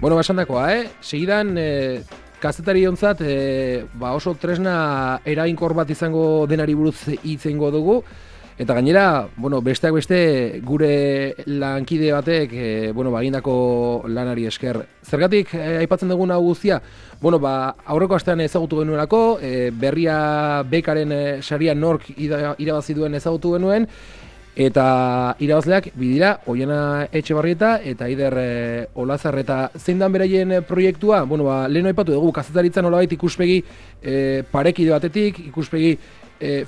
Bueno, basandakoa, segidan, kazetari ontzat, oso tresna erainkor bat izango denari buruz hitzengo dugu, eta gainera, besteak beste gure lankide batek, egindako lanari esker. Zergatik aipatzen dugun hau guztia? Aurreko astean ezagutu genuelako, berria bekaren saria nork irabazi duen ezagutu genuen, eta irabazleak bidira Oiana Etxebarrieta eta Aider Olazarreta. Zein dan beraien proiektua? Lehen aipatu dugu, kazetaritzan nolabait ikuspegi parekide batetik, ikuspegi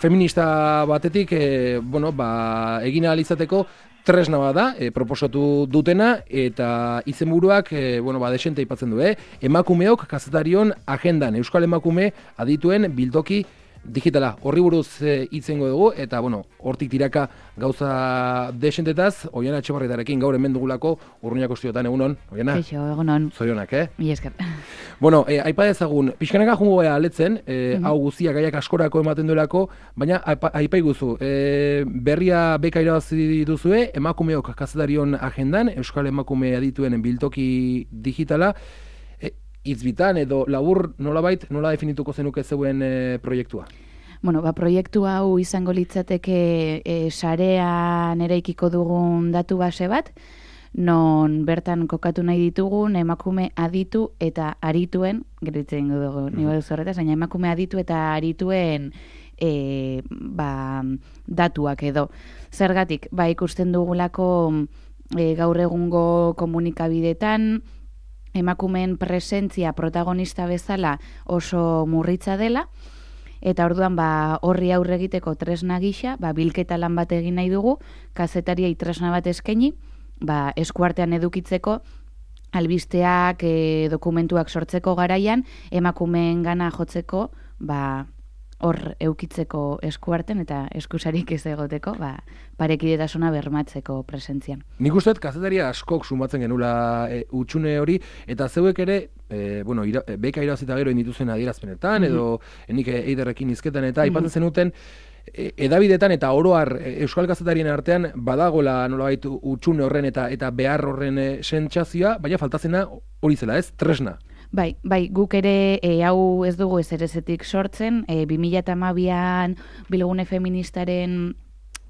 feminista batetik, egin ahal izateko tresna bat da, proposatu dutena, eta izenburuak, desente aipatzen du, emakumeok kazetarion agendan, Euskal Emakume adituen biltoki digitala. Horri buruz hitzengo dugu, eta hortik tiraka gauza desentetaz, Oiana Etxebarrietarekin gaur hemen dugulako Urruñako estudiotan. Egunon, Oiana? Kaixo, egunon. Zorionak, Mila esker. Aipa dezagun, pixkanaka jungo gara aletzen, hau guztia gaiak askorako ematen duelako, baina aipa iguzu, berria beka irabazi duzue, emakumeok kazetarion agendan, Euskal Emakume adituen biltoki digitala, hitzbitan edo labur nola definituko zenuke zeuen proiektua? Proiektu hau izango litzateke sarean eraikiko dugun datu base bat, non bertan kokatu nahi ditugun emakume aditu eta arituen, geritzen dugu niba duzu horretaz, baina emakume aditu eta arituen datuak edo. Zergatik, ikusten dugulako gaur egungo komunikabidetan, emakumeen presentzia protagonista bezala oso murritza dela, eta orduan horri aurre egiteko tresna gisa, bilketa lan bat egin nahi dugu, kazetariei tresna bat eskaini, eskuartean edukitzeko, albisteak, dokumentuak sortzeko garaian, emakumeen gana jotzeko, hor eukitzeko eskuarten eta eskusarik ez egoteko, parekidetasuna bermatzeko presentzian. Nik usteet kazetaria askok sumatzen genula utxune hori, eta zeuek ere, beka irabazita gero indituzen adierazpenetan, edo enik Eiderrekin izketan, eta aipatzen zenuten, edabidetan eta oroar euskal kazetarien artean badagola nolabait utxune horren eta behar horren sentsazioa, baina faltazena hori zela, ez? Tresna. Bai, guk ere hau ez dugu ezerezetik sortzen, 2012an Bilgune Feministaren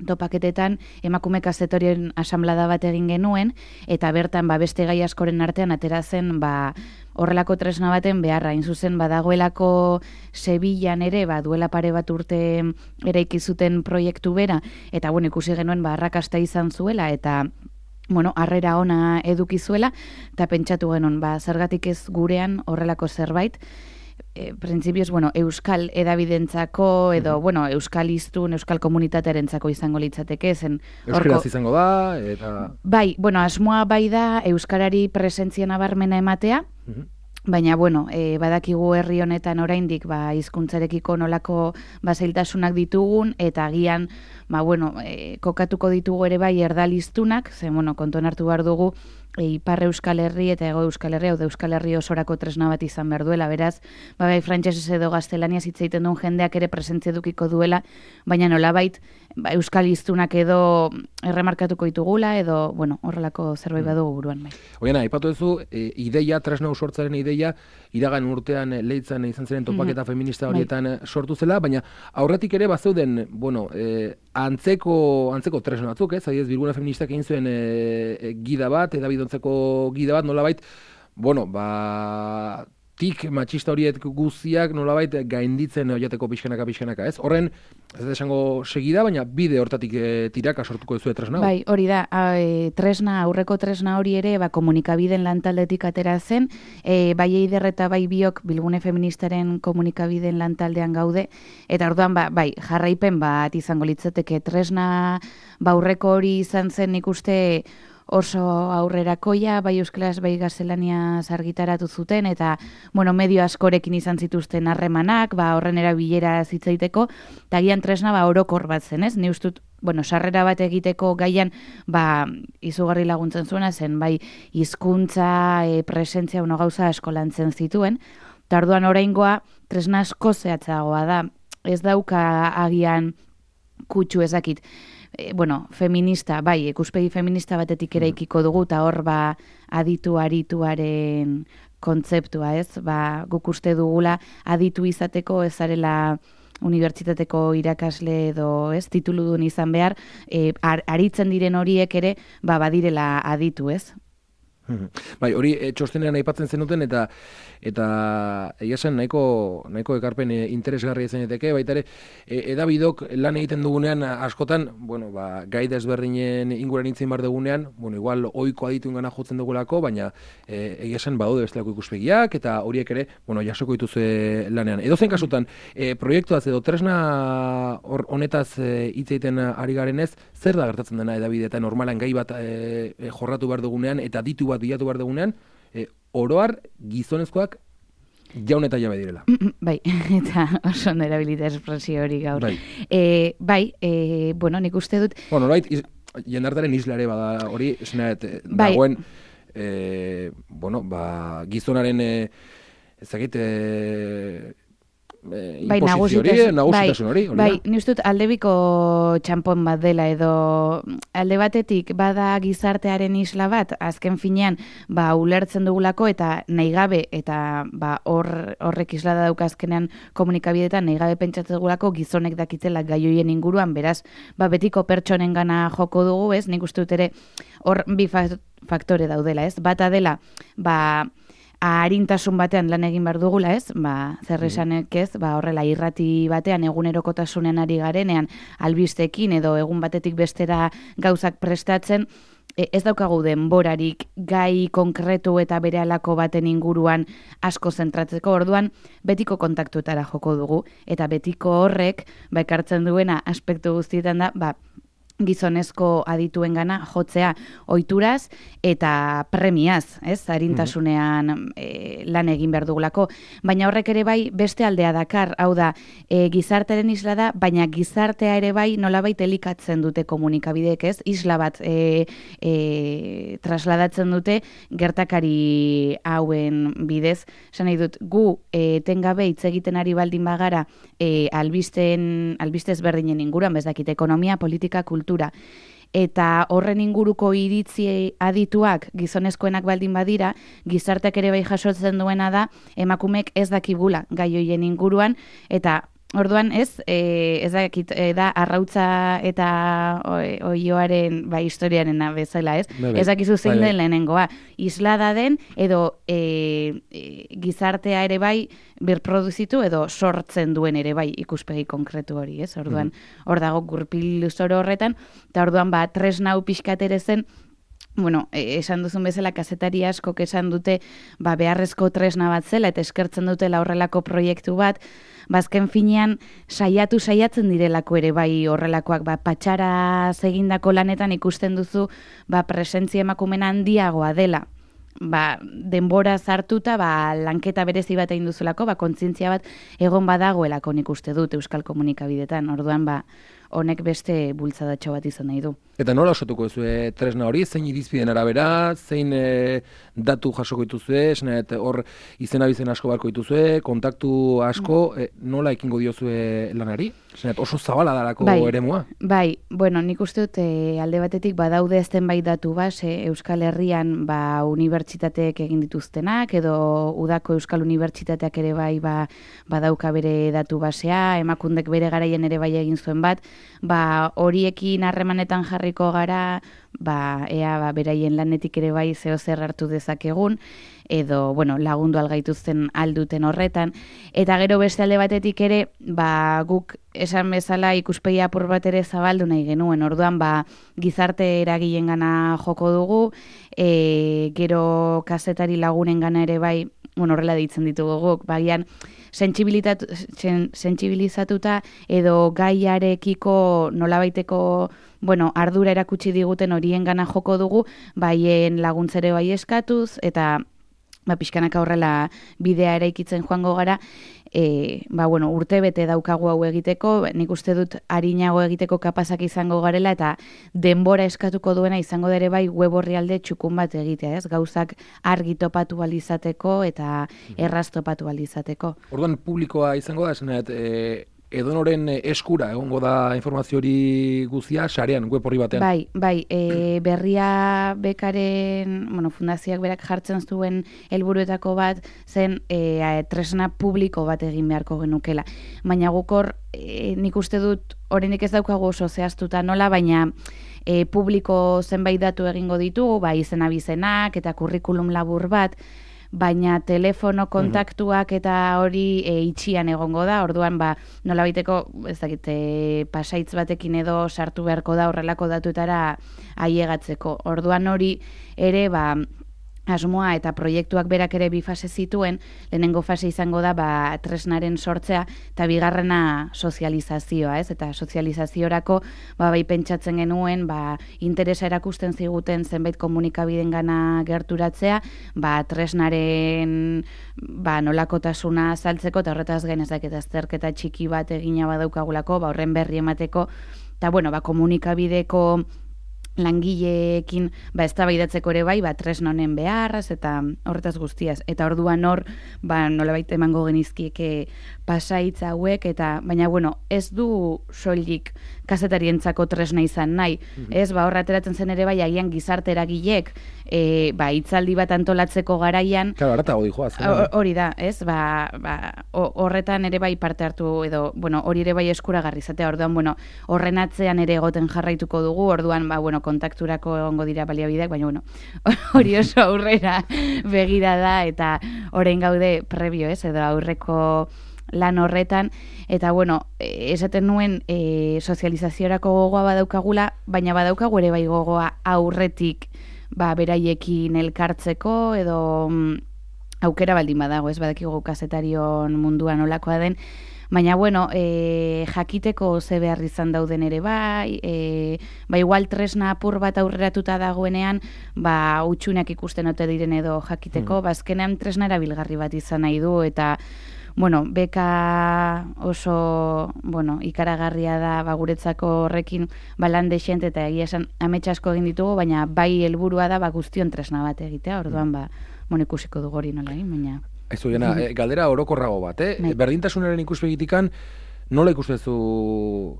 topaketetan emakume kazetarien asamblada bat egin genuen, eta bertan beste gai askoren artean atera zen horrelako tresna baten beharra. Hain zuzen badagoelako Sevillan ere duela pare bat urte eraiki zuten proiektu bera, eta ikusi genuen arrakasta izan zuela, eta harrera ona eduki zuela, eta pentsatu genuen, zergatik ez gurean horrelako zerbait, printzipioz, euskal edabidentzako, edo, euskal iztun, euskal komunitatearentzako izango litzateke, zen... Euskaraz izango da, eta... Bai, asmoa da euskarari presentzia nabarmena ematea, baina, badakigu herri honetan oraindik hizkuntzarekiko nolako zailtasunak ditugun, eta agian, kokatuko ditugu ere erdaliztunak, ze, kontuan hartu behar dugu, Ipar Euskal Herri eta Hego Euskal Herri, hau da Euskal Herri osorako tresna bat izan behar duela, beraz, frantsesez edo gaztelaniaz hitz egiten duen jendeak ere presentzia edukiko duela, baina nolabait euskal hiztunak edo erremarkatuko ditugula, edo, horrelako zerbait badugu buruan. Oiana, aipatu duzu, ideia, tresna sortzaren ideia, iragan urtean Leitzan izan ziren topaketa feminista horietan sortu zela, baina aurretik ere bazeuden, antzeko tresna batzuk, ez? Adibidez, Bilgune Feministak egin zuen gida bat, edabidontzeko gida bat, nolabait, tik matxista horiek guztiak nolabait gainditzen joateko pixkanaka, ez? Horren, ez da esango segida, baina bide hortatik tiraka sortuko duzu tresna. Bai, hori da, aurreko tresna hori ere, komunikabiden lantaldetik atera zen, bai Eider eta bai biok Bilgune Feministaren komunikabiden lantaldean gaude, eta orduan, jarraipen bat izango litzateke tresna, aurreko hori izan zen ikuste oso aurrerakoia, bai euskaraz, bai gaztelaniaz argitaratu zuten, eta, medio askorekin izan zituzten harremanak, horren erabilera zitzaiteko, eta gian tresna, orokor bat zen, ez? Ni ustut, sarrera bat egiteko gaian, izugarri laguntzen zuena zen, bai hizkuntza, presentzia, gauza asko lantzen zituen, eta orduan oraingoa tresna asko zehatzagoa da, ez dauka agian kutsu ezakit, feminista, bai, ikuspegi feminista batetik eraikiko dugu, eta hor aditu arituaren kontzeptua, ez? Guk uste dugula aditu izateko ezarela unibertsitateko irakasle edo ez tituludun izan behar, aritzen diren horiek ere badirela aditu, ez? Bai, hori txostenean aipatzen zenuten eta egia zen nahiko ekarpen interesgarria zeneteke, baita ere edabidok lan egiten dugunean askotan, gai desberdinen inguran hitzen bar dugunean, igual ohiko aditungana jotzen dugulako, baina egia zen badaude bestelako ikuspegiak eta horiek ere, jasoko dituzue lanean. Edozein kasutan, proiektuaz edo tresna honetaz hitz egiten ari garenez, zer da gertatzen dena edabideetan normalan gai bat jorratu behar dugunean eta ditu bat bilatu behar dugunean, oroar gizonezkoak jaun eta jabe direla. Bai, eta oso erabilita espresio hori gaur. Nik uste dut... Norbait, jendartaren islare bada hori, esnaet, dagoen, gizonaren, ezagite... nagusitasun hori. Bai, ni uste dut aldebiko txanpon bat dela edo alde batetik bada gizartearen isla bat, azken finean ulertzen dugulako eta nahi gabe eta horrek isla da daukazkenean komunikabideetan nahi gabe pentsatzen dugulako gizonek dakitzela gaioien inguruan, beraz, betiko pertsonen gana joko dugu, ez? Nik uste dut ere hor bi faktore daudela, ez? Bata dela, arintasun batean lan egin behar dugula, ez? Zer esanek ez, horrela irrati batean egunerokotasunean ari garenean albistekin edo egun batetik bestera gauzak prestatzen, ez daukagu denborarik gai konkretu eta berehalako baten inguruan asko zentratzeko, orduan betiko kontaktuetara joko dugu, eta betiko horrek ekartzen duena aspektu guztietan da, gizonezko adituengana jotzea ohituraz eta premiaz, ez? Arintasunean lan egin behar dugulako. Baina horrek ere bai beste aldea dakar, hau da, gizartearen isla da, baina gizartea ere bai nolabait elikatzen dute komunikabideek, ez? Isla bat trasladatzen dute gertakari hauen bidez. Esan nahi dut, gu etengabe hitz egiten ari baldin bagara albiste ezberdinen inguruan, dakit ekonomia, politika, kultura, eta horren inguruko iritzi adituak gizonezkoenak baldin badira, gizarteak ere bai jasotzen duena da, emakumeek ez dakigula gai hoien inguruan, eta orduan ez dakit, da arrautza eta oioaren historiaren bezala, ez? Ez dakizu zein den lehenengoa. Islada den edo gizartea ere bai birproduzitu edo sortzen duen ere bai ikuspegi konkretu hori, ez? Orduan, hor dago gurpil zoro horretan, eta orduan tresna hau pixkat ere zen, esan duzun bezala kazetari askok esan dute beharrezko tresna bat zela eta eskertzen dutela horrelako proiektu bat, bazken finean saiatzen direlako ere bai horrelakoak, patxara egindako lanetan ikusten duzu presentzia emakumen handiagoa dela. Denbora zartuta, lanketa berezi bat egin duzulako, kontzientzia bat egon badagoelako nik uste dut euskal komunikabidetan, orduan honek beste bultzadatxo bat izan nahi du. Eta nola osatuko duzue tresna hori, zein irizpideen arabera, zein datu jasoko dituzue, hor izena bizen asko barko dituzue, kontaktu asko, nola ekingo diozue lanari? Oso zabala darako eremua? Bai, nik uste dut alde batetik badaude zenbait datu base Euskal Herrian unibertsitateek egin dituztenak, edo udako Euskal Unibertsitateak ere bai badauka bere datu basea, emakundek bere garaien ere bai egin zuen bat, horiekin harremanetan jarriko gara, ea beraien lanetik ere bai zer hartu dezakegun, edo lagundu algaituzten alduten horretan, eta gero beste alde batetik ere, guk esan bezala ikuspegi apur bat ere zabaldu nahi genuen, orduan gizarte eragileen gana joko dugu, gero kazetari lagunen gana ere bai, horrela deitzen ditugu guk, bagian sentsibilizatuta edo gaiarekiko nolabaiteko ardura erakutsi diguten horien gana joko dugu, baien laguntzere bai eskatuz, eta pixkanaka horrela bidea eraikitzen joango gara, urte bete daukagu hau egiteko, nik uste dut arinago egiteko kapazak izango garela, eta denbora eskatuko duena izango dere bai web orrialde txukun bat egitea, ez? Gauzak argi topatu alizateko eta erraz topatu alizateko. Orduan publikoa izango da, edonoren eskura egongo da informazio hori guztia sarean, web horri batean. Bai, berria bekaren, fundazioak berak jartzen zuen helburuetako bat zen tresna publiko bat egin beharko genukela. Baina gukor nik uste dut oraindik ez daukagu oso zehaztuta nola, baina publiko zenbait datu egingo ditugu, izena bizenak eta kurrikulum labur bat, baina telefono kontaktuak eta hori itxian egongo da, orduan nolabaiteko ez dakit pasaitz batekin edo sartu beharko da horrelako datuetara ailegatzeko. Orduan hori ere asmoa eta proiektuak berak ere bi fase zituen, lehenengo fase izango da tresnaren sortzea eta bigarrena sozializazioa, ez? Eta sozializaziorako bai pentsatzen genuen interesa erakusten ziguten zenbait komunikabidengana gerturatzea, tresnaren nolakotasuna azaltzeko eta horretaz gain ez dakit azterketa txiki bat egina badaukagulako, horren berri emateko eta komunikabideko langileekin eztabaidatzeko ere bai, tresna honen beharraz eta horretaz guztiaz. Eta orduan hor, nolabait emango genizkieke pasaitz hauek, baina ez du soilik kazetarientzako tresna izan nahi. Ez, hor ateratzen zen ere bai, agian gizarte eragilek hitzaldi bat antolatzeko garaian. Claro, aratago dijoaz. Hori da, ez? Horretan ere bai parte hartu edo, hori ere bai eskuragarri izatea. Orduan, horren atzean ere egoten jarraituko dugu. Orduan, kontakturako egongo dira baliabideak, baina hori oso aurrera begira da eta orain gaude prebio, ez? Edo aurreko lan horretan, eta esaten nuen sozializaziorako gogoa badaukagula, baina badaukagu ere bai gogoa aurretik beraiekin elkartzeko edo aukera baldin badago, ez badakigu kazetarion munduan olakoa den, baina, jakiteko ze behar izan dauden ere igual tresna apur bat aurreratuta dagoenean, utxunak ikusten ote diren edo jakiteko, azkenean tresna erabilgarri bat izan nahi du, eta, beka oso, ikaragarria da guretzako horrekin lan dexent, eta egia esan amets asko egin ditugu, baina bai helburua da guztion tresna bat egitea, orduan, ikusiko dugu hori nola, baina... Aizu, galdera orokorrago bat, berdintasunaren ikuspegitikan, nola ikustezu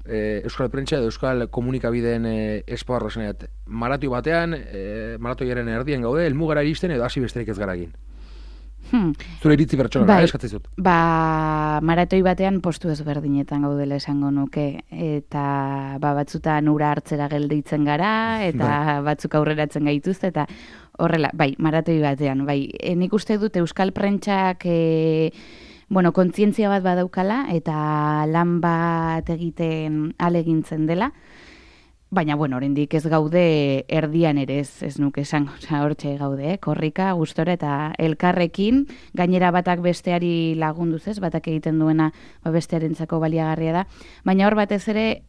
Euskal Prentsa edo Euskal Komunikabideen espoarro zeneat? Maratoi batean, maratoiaren erdien gaude, helmugara iristen edo hasi besterik ez gara egin? Zure iritzi pertsonala, eskatzizut? Maratoi batean postu ezberdinetan gaudela esango nuke, eta batzutan ura hartzera gelditzen gara, eta batzuk aurreratzen gaituzte, eta horrela, maratoi batean, nik uste dut Euskal Prentsak kontzientzia bat badaukala eta lan bat egiten alegintzen dela, baina, oraindik ez gaude erdian ere ez nuke esango, hortxe gaude, korrika, gustora eta elkarrekin, gainera batak besteari lagunduz ez, batak egiten duena bestearentzako baliagarria da, baina hor batez ere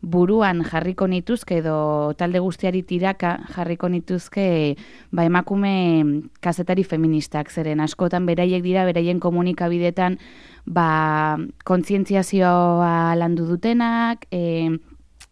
buruan jarriko nituzke edo talde guztiari tiraka jarriko nituzke emakume kazetari feministak, zeren askotan beraiek dira, beraien komunikabidetan kontzientziazioa landu dutenak,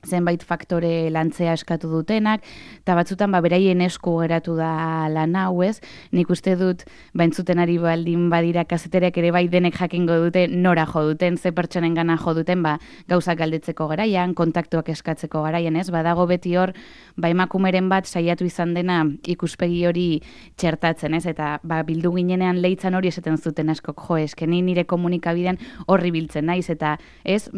zenbait faktore lantzea eskatu dutenak, eta batzutan beraien esku geratu da lan hau, ez? Nik uste dut, entzuten ari baldin badira kazetereak ere bai denek jakingo dute nora jo duten, ze pertsonen gana jo duten, gauzak galdetzeko garaian, kontaktuak eskatzeko garaian, ez? Badago beti hor, emakumeren bat saiatu izan dena ikuspegi hori txertatzen, ez? Eta bildu ginenean leitzan hori esaten zuten askok, eskeni nire komunikabidean horri biltzen naiz, eta ez?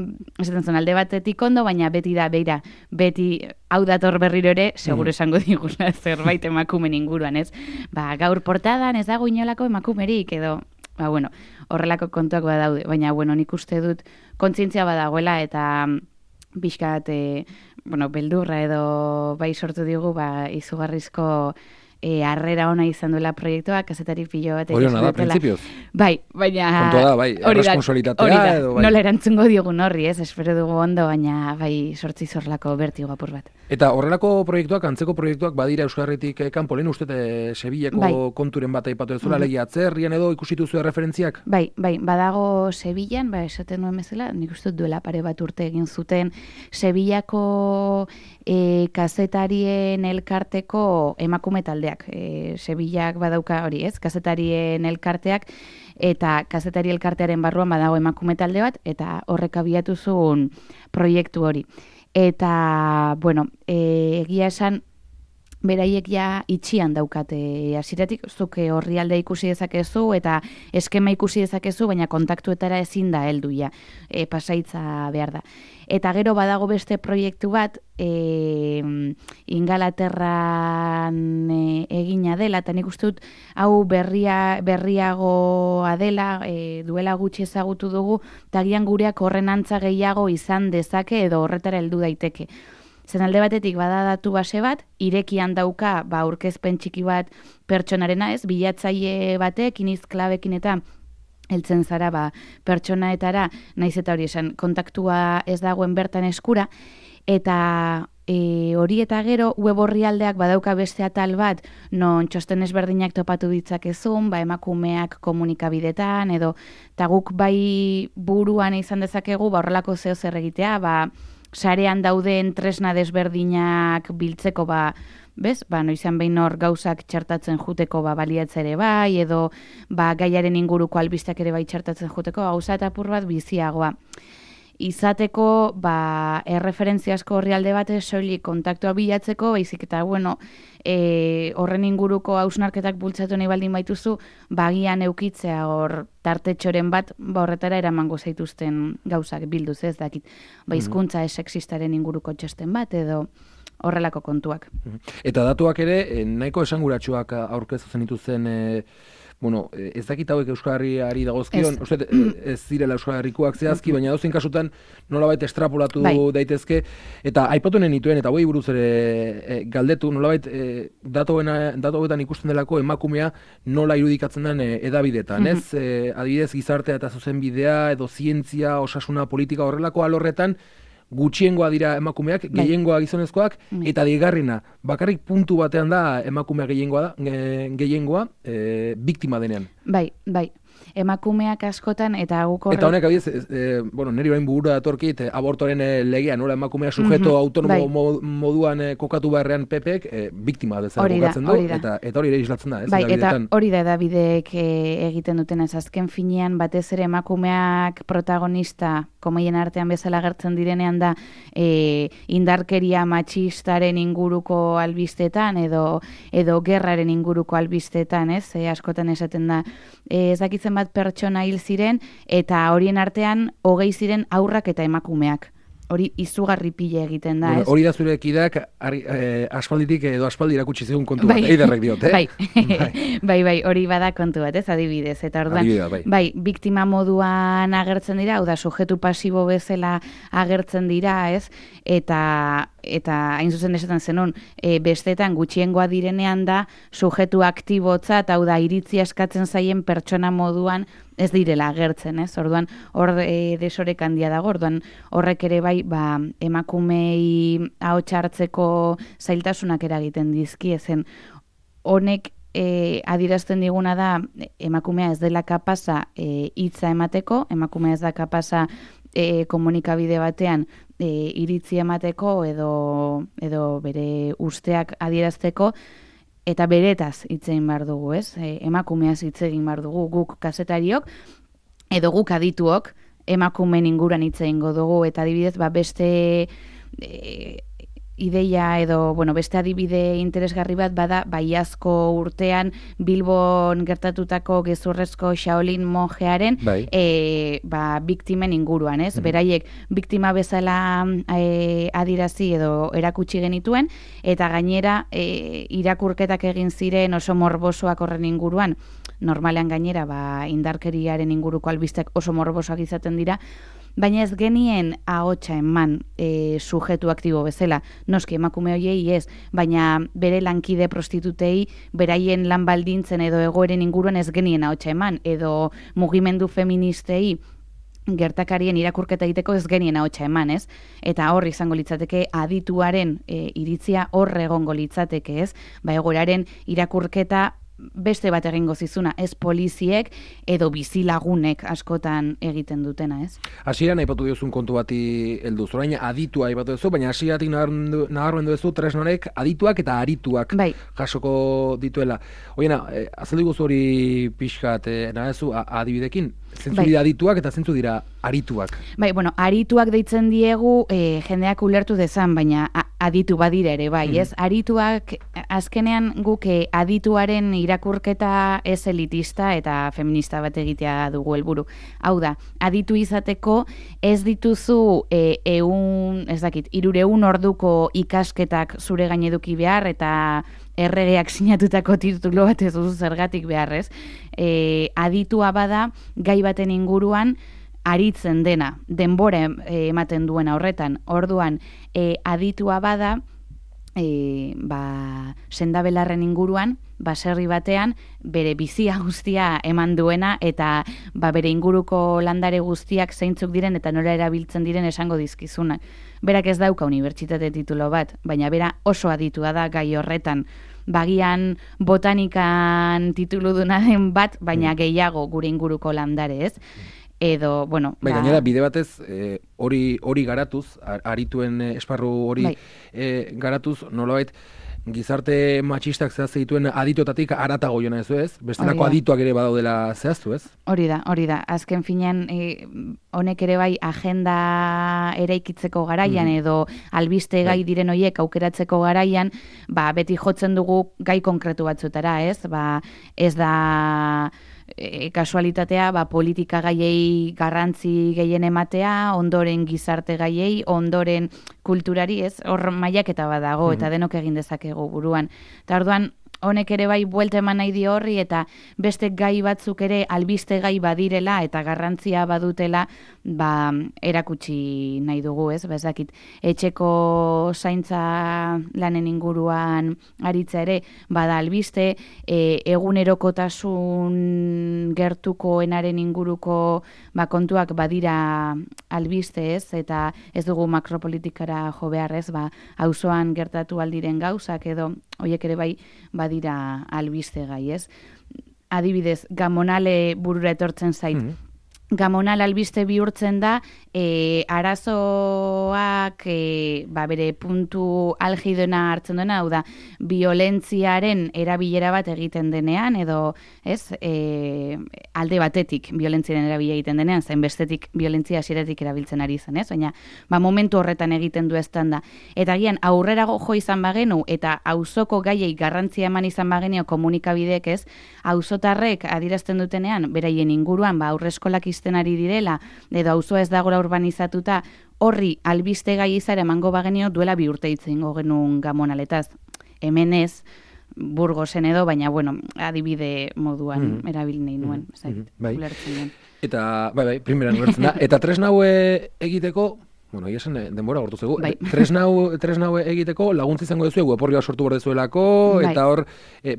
Esaten zuen alde batetik ondo, baina beti da beira, beti hau dator berriro ere, seguro esango digula zerbait emakumen inguruan, ez? Gaur portadan ez dago inolako emakumerik, edo, horrelako kontuak badaude, baina, nik uste dut kontzientzia badagoela, eta pixkat, beldurra edo sortu digu, izugarrizko harrera ona izan duela proiektua, kazetari pilo bat. Hori hona da, prinsipioz? Baina... Kontua da, erresponsolitatea edo... Nola erantzungo diogun horri, ez? Espero dugu ondo, baina sortzi zorlako bertigo apur bat. Eta horrelako proiektuak, antzeko proiektuak badira Euskal Herritik kanpo, lehen uste Sevillako konturen bat aipatu ez duela, legi atzerrian edo ikusitu zuen referentziak? Badago Sevillan, esaten nuen bezala, nik uste duela pare bat urte egin zuten, Sevillako kazetarien elkarteko emakume taldea. biak, Sevillak badauka hori, ez, kazetarien elkarteak, eta kazetari elkartearen barruan badago emakume talde bat, eta horrek abiatu zuen proiektu hori. Eta, bueno, egia esan, beraiek ja itxian daukate hasieratik, zuke orrialde ikusi dezakezu eta eskema ikusi dezakezu, baina kontaktuetara ezin da heldu ja, pasaitza behar da. Eta gero badago beste proiektu bat, Ingalaterran egina dela, eta nik uste dut hau berriagoa dela, duela gutxi ezagutu dugu, eta gian gureak horren antza gehiago izan dezake edo horretara heldu daiteke. Zen alde batetik bada datu base bat, irekian dauka aurkezpen txiki bat pertsonarena, ez, bilatzaile batek, iniz klabekin eta heltzen zara pertsonaetara, naiz eta hori esan, kontaktua ez dagoen bertan eskura, eta hori eta gero web orrialdeak badauka beste atal bat, non txosten ezberdinak topatu ditzakezun, emakumeak komunikabidetan, edo, eta guk bai buruan izan dezakegu, horrelako zeo zer egitea, sarean dauden tresna desberdinak biltzeko, noizean behin hor gauzak txartatzen juteko baliatzere bai, edo gaiaren inguruko albisteak ere bai txartatzen juteko, gauza eta apur bat biziagoa. Izateko, erreferentziasko orrialde bat soilik kontaktua bilatzeko, baizik eta, horren inguruko hausnarketak bultzatu nahi baldin baituzu, bagian eukitzea hor tartetxoren bat, horretara eramango zaituzten gauzak bilduz, ez dakit. Hizkuntza sexistaren inguruko txosten bat, edo horrelako kontuak. Eta datuak ere, nahiko esanguratsuak aurkezu zenituzen, ez dakit hauek Euskal Herriari dagozkion, ez zirela Euskal Herrikoak zehazki, baina dozein kasutan nolabait estrapolatu daitezke, eta aipatunen nituen, eta hoi buruz ere galdetu, nolabait datu hauetan ikusten delako emakumea nola irudikatzen den edabidetan, ez? Adibidez, gizartea eta zuzenbidea, edo zientzia, osasuna, politika horrelako alorretan, gutxiengoa dira emakumeak, gehiengoa gizonezkoak, eta digarrena, bakarrik puntu batean da emakumea gehiengoa biktima denean. Bai. Emakumeak askotan, eta guk horrek... Eta honek, abiez, niri bain burura datorkit, abortoren legea, nola emakumea sujeto autonomo moduan kokatu beharrean PPek, biktima bezala kokatzen du, eta hori ere islatzen da, ez? Bai, eta hori da edabideek egiten duten ez, azken finean, batez ere emakumeak protagonista, komeien artean bezala gertzen direnean da, indarkeria matxistaren inguruko albistetan, edo gerraren inguruko albistetan, ez? Askotan esaten da, ez dakitzen bat pertsona hil ziren, eta horien artean 20 ziren haurrak eta emakumeak. Hori izugarri pile egiten da, ez? Hori da zure ekideak aspalditik edo aspaldi irakutsi zigun kontu bat, eiderrek diot, Bai, hori bada kontu bat, ez, adibidez. Eta orduan, biktima moduan agertzen dira, hau da, sujetu pasibo bezala agertzen dira, ez? Eta hain zuzen esaten zenun, bestetan gutxiengoa direnean da, sujetu aktibotzat, hau da, iritzia eskatzen zaien pertsona moduan ez direla agertzen, ez? Orduan, hor desorek handia dago, orduan horrek ere bai, emakumei ahots hartzeko zailtasunak eragiten dizki, ezen honek adierazten diguna da, emakumea ez dela kapasa hitza emateko, emakumea ez da kapasa komunikabide batean iritzi emateko edo bere usteak adierazteko, eta beretaz hitz egin behar dugu, ez? Emakumeaz hitz egin behar dugu, guk kazetariok, edo guk adituok, emakumeen inguruan hitz egingo dugu, eta adibidez, beste ideia edo, beste adibide interesgarri bat bada, iazko urtean Bilbon gertatutako gezurrezko Shaolin monjearen biktimen inguruan, ez? Beraiek biktima bezala adirazi edo erakutsi genituen, eta gainera irakurketak egin ziren oso morbosoak horren inguruan, normalean gainera indarkeriaren inguruko albisteak oso morbosoak izaten dira, baina ez genien ahotsa eman sujetu aktibo bezala. Noski emakume hoiei ez, baina bere lankide prostitutei, beraien lan baldintzen edo egoeren inguruan ez genien ahotsa eman, edo mugimendu feministei gertakarien irakurketa egiteko ez genien ahotsa eman, ez? Eta hor izango litzateke adituaren iritzia hor egongo litzateke, ez? Egoeraren irakurketa beste bat egingo zizuna, ez poliziek edo bizilagunek askotan egiten dutena, ez? Hasieran aipatu diozun kontu bati heldu. Orain aditua aipatu duzu, baina hasieratik nabarmendu duzu tresna honek adituak eta arituak jasoko dituela. Oiena, azaldu guzu hori pixkat, nahezu adibidekin, zentzu dira adituak eta zentzu dira arituak? Bai, bueno, arituak deitzen diegu jendeak ulertu dezan, baina aditu badira ere, bai, ez? Arituak, azkenean guk adituaren irakurketa ez elitista eta feminista bat egitea dugu helburu. Hau da, aditu izateko ez dituzu 300 orduko ikasketak zure gain eduki behar eta erregeak sinatutako titulo bat ez duzu zergatik beharrez. Aditua bada gai baten inguruan aritzen dena, denbora ematen duena horretan. Orduan, aditua bada, sendabelarren inguruan, baserri batean, bere bizia guztia eman duena eta bere inguruko landare guztiak zeintzuk diren eta nola erabiltzen diren esango dizkizunak. Berak ez dauka unibertsitate titulo bat, baina bera oso aditua da gai horretan. Bagian botanikan titulu duna den bat, baina gehiago gure inguruko landare, ez? Edo, bueno... gainera, bide batez, hori garatuz, arituen esparru hori garatuz, nolabait, gizarte matxistak zehazte dituen aditotatik aratago jona ez, ez? Bestelako adituak ere badaudela zehaztu, ez? Hori da. Azken finean, honek ere bai agenda eraikitzeko garaian edo albiste gai diren hoiek aukeratzeko garaian, beti jotzen dugu gai konkretu batzutara, ez? Ez da... kasualitatea, politika gaiei garrantzi gehien ematea, ondoren gizarte gaiei, ondoren kulturari, ez? Hor mailaketa bat dago eta denok egin dezakegu buruan. Eta orduan, honek ere bai buelta eman nahi dio horri eta beste gai batzuk ere albiste gai badirela eta garrantzia badutela erakutsi nahi dugu, ez? Ez dakit, etxeko zaintza lanen inguruan aritza ere bada albiste, egunerokotasun gertukoenaren inguruko kontuak badira albiste, ez? Eta ez dugu makropolitikara jo behar, ez? Auzoan gertatu aldiren gauzak edo horiek ere bai badira albiste gai, ez? Adibidez, gamonale burura etortzen zait. Gamonal albiste bihurtzen da, arazoak bere puntu algidona hartzen duena, hau da, biolentziaren erabilera bat egiten denean, edo, ez, alde batetik biolentziaren erabilera egiten denean, zain bestetik biolentzia hasieratik erabiltzen ari zen, ez? Baina, momentu horretan egiten du eztanda. Eta gian, aurrerago jo izan bagenu, eta auzoko gaiei garrantzia eman izan bagenio komunikabidek, ez? Auzotarrek adierazten dutenean, beraien inguruan, aurreskolak izten ari direla, edo auzoa ez dagoela urbanizatuta, horri albiste gai izara emango bagenio duela 2 urte hitz egingo genuen gamonaletaz. Hemen ez, Burgosen edo, baina, bueno, adibide moduan erabil nahi nuen. Eta, primeran ulertzen da. Eta tresna haue egiteko, bueno, esan denbora gortu zegu, tresna haue egiteko laguntza izango duzu, web sortu behar dezuelako, eta hor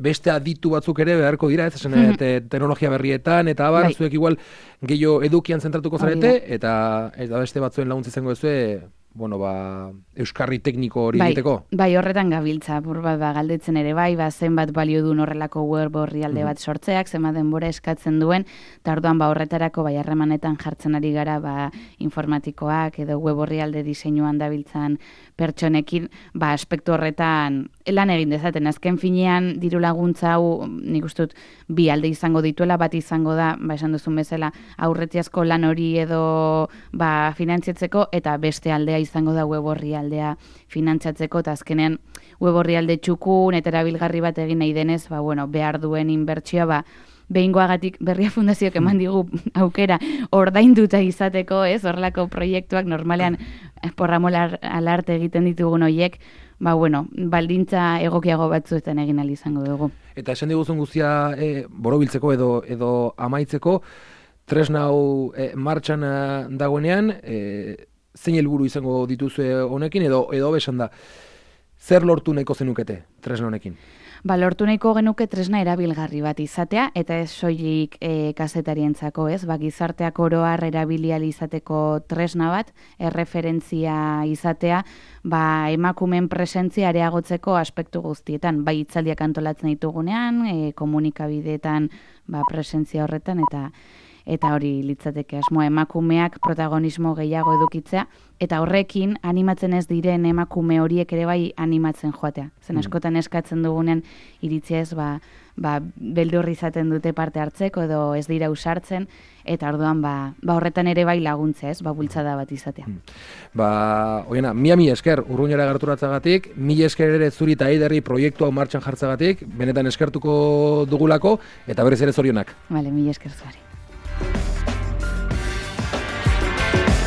beste aditu batzuk ere beharko dira, ez esan teknologia berrietan, eta abar, zuek igual gehiago edukian zentratuko zarete, eta beste batzuen laguntza izango duzu, euskarri tekniko hori egiteko? Bai, horretan gabiltza, galdetzen ere zenbat balio duen horrelako web orrialde bat sortzeak, zenbat denbora eskatzen duen, eta orduan horretarako harremanetan jartzen ari gara informatikoak edo web orrialde diseinuan dabiltzan pertsonekin, aspektu horretan lan egin dezaten. Azken finean diru laguntza hau, nik ustut, 2 alde izango dituela, bat izango da, esan duzun bezala, aurretiazko lan hori edo finantziatzeko, eta beste aldea izango da web orrialdea finantzatzeko, eta azkenean web orrialde txukun eta erabilgarri bat egin nahi denez, behar duen inbertsioa, behingoagatik Berria Fundazioak eman digu aukera ordainduta izateko, ez? Horrelako proiektuak normalean porramola alarte egiten ditugun horiek, baldintza egokiago batzuetan egin ahal izango dugu. Eta esan diguzun guztia borobiltzeko edo amaitzeko, tresna hau martxan dagoenean, zein helburu izango dituzue honekin, edo besan da, zer lortu nahiko zenukete tresna honekin? Lortu nahiko genuke tresna erabilgarri bat izatea, eta ez soilik kazetarientzako, ez? Gizarteak oro har erabili ahal izateko tresna bat, erreferentzia izatea, emakumeen presentzia areagotzeko aspektu guztietan, bai hitzaldiak antolatzen ditugunean, komunikabideetan presentzia horretan, eta hori litzateke asmoa, emakumeak protagonismo gehiago edukitzea, eta horrekin animatzen ez diren emakume horiek ere bai animatzen joatea. Zen askotan eskatzen dugunean iritzia ez, beldur izaten dute parte hartzeko edo ez dira usartzen, eta orduan horretan ere bai laguntzea, ez, bultzada bat izatea. Oiena, mila esker Urruñara gerturatzagatik, mila esker ere zuri eta Eiderri proiektu hau martxan jartzagatik, benetan eskertuko dugulako, eta berriz ere zorionak. Mila esker zuari.